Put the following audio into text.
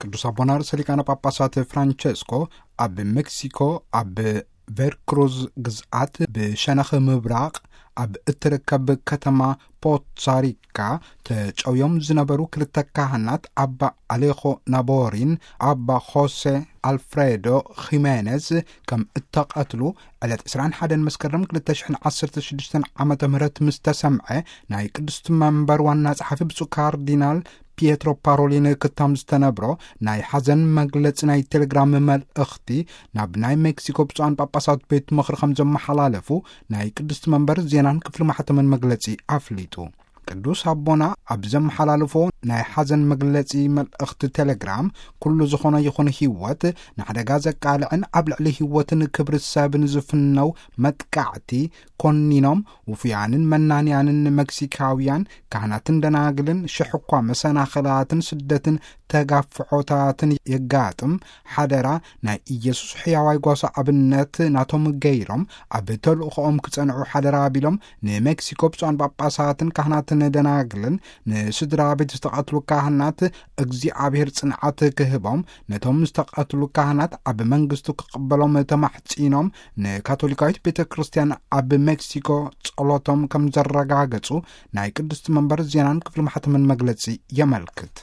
ቅዱስ ኣቦና ርእሰ ሊቃነ ጳጳሳት ፍራንቸስኮ ኣብ ሜክሲኮ፣ ኣብ ቬርክሩዝ ግዝኣት ብሸነኽ ምብራቕ ኣብ እትርከብ ከተማ ፖትሳሪካ ተጨውዮም ዝነበሩ ክልተ ካህናት፣ ኣባ ኣሌኾ ናቦሪን ኣባ ሆሴ ኣልፍሬዶ ኺሜኔዝ፣ ከም እተቐትሉ ዕለት ዕስራን ሓደን መስከረም ክልተ ሽሕን ዓሰርተ ሽዱሽተን ዓመተ ምህረት ምስ ተሰምዐ፣ ናይ ቅድስቲ መንበር ዋና ጸሓፊ ብፁዕ ካርዲናል ፒየትሮ ፓሮሊን ክታም ዝተነብሮ ናይ ሓዘን መግለጺ ናይ ቴሌግራም መልእኽቲ ናብ ናይ ሜክሲኮ ብፁዓን ጳጳሳት ቤት ምኽሪ ከም ዘመሓላለፉ ናይ ቅድስቲ መንበር ዜናን ክፍሊ ማሕተምን መግለጺ ኣፍሊጡ። ቅዱስ ኣቦና ኣብ ዘመሓላልፎ ናይ ሓዘን መግለጺ መልእኽቲ ቴሌግራም፣ ኩሉ ዝኾነ ይኹን ህይወት ንሓደጋ ዘቃልዕን ኣብ ልዕሊ ህይወትን ክብሪ ሰብን ዝፍነው መጥቃዕቲ ኮኒኖም፣ ውፉያንን መናንያንን መክሲካውያን ካህናትን ደናግልን ሽሕ እኳ መሰናኽላትን ስደትን ተጋፍዖታትን የጋጥም፣ ሓደራ ናይ ኢየሱስ ሕያዋይ ጓሳ ኣብነት ናቶም ገይሮም ኣብ ተልእኾኦም ክጸንዑ ሓደራ ቢሎም፣ ንሜክሲኮ ብፁዓን ጳጳሳትን ካህናትን ደናግልን ንስድራ ቤት ዝተቐትሉ ካህናት እግዚኣብሔር ጽንዓት ክህቦም፣ ነቶም ዝተቐትሉ ካህናት ኣብ መንግስቱ ክቕበሎም ተማሕጺኖም፣ ንካቶሊካዊት ቤተ ክርስቲያን ኣብ ሜክሲኮ ጸሎቶም ከም ዘረጋገጹ ናይ ቅድስቲ መንበር ዜናን ክፍሊ ማሕተምን መግለጺ የመልክት።